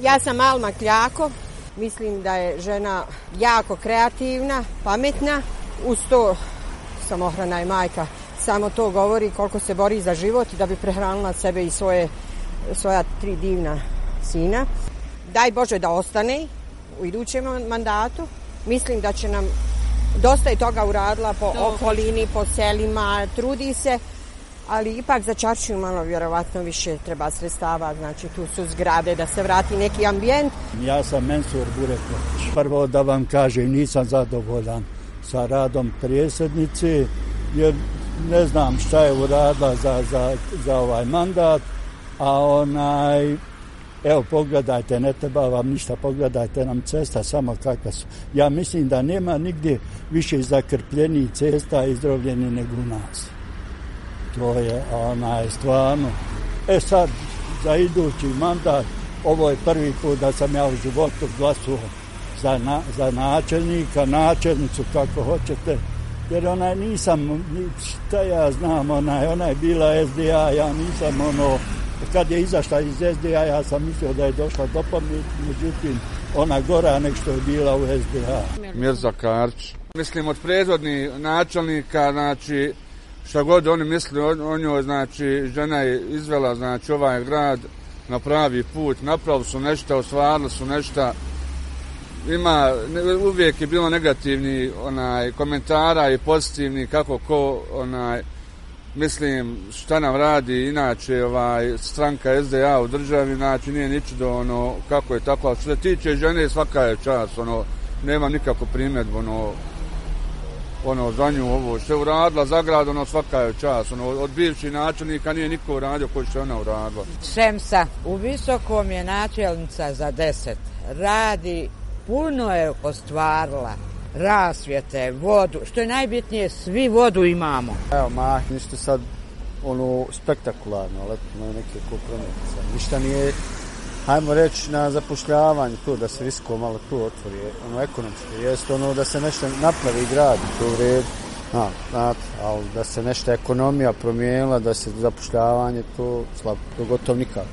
Ja sam Alma Kljako, mislim da je žena jako kreativna, pametna, uz to samohrana je majka. Samo to govori koliko se bori za život da bi prehranila sebe i svoja 3 divna sina. Daj Bože da ostane u idućem mandatu. Mislim da će nam dosta je toga uradila po okolini, po selima, trudi se, ali ipak za Čaršiju malo vjerovatno više treba sredstava, znači tu su zgrade da se vrati neki ambijent. Ja sam Mensur Bureković. Prvo da vam kažem, nisam zadovoljan sa radom predsjednice, jer ne znam šta je uradila za ovaj mandat, a evo pogledajte, ne treba vam ništa, pogledajte nam cesta samo kakva su. Ja mislim da nema nigdje više zakrpljenih cesta izdrovljenih nego u nas. To je stvarno. Sad, za idući mandat, ovo je prvi put da sam ja u životu glasao za načelnika, načelnicu, kako hoćete, jer nisam, šta ja znam, ona je bila SDA, ja nisam kad je izašla iz SDA, ja sam mislio da je došla do pameti, međutim, ona gora nek što je bila u SDA. Mirza Karić. Mislim, od prethodnih načelnika, znači, šta god oni misli o njoj, znači, žena je izvela, znači, ovaj grad na pravi put, napravili su nešto, ostvarili su nešto. Uvijek je bilo negativni komentara i pozitivni kako ko mislim šta nam radi inače stranka SDA u državi, znači nije ničudo kako je tako, ali što se tiče žene svaka je čast, nema nikakvu primjedbu za nju ovo što je uradila za grad, svaka je čast, od bivših načelnika nije niko uradio koji što je ona uradila. Šemsa u Visokom je načelnica za 10, radi, puno je ostvarila, rasvjete, vodu, što je najbitnije, svi vodu imamo. Evo, ništa sad spektakularno, ali imaju neke kompromise. Ništa nije, hajmo reći, na zapošljavanju, to da se Visoko malo tu otvori, ekonomski, jest da se nešto napravi grad, to u redu, ali da se nešto ekonomija promijenila, da se zapošljavanje, to slabo, to gotovo nikako.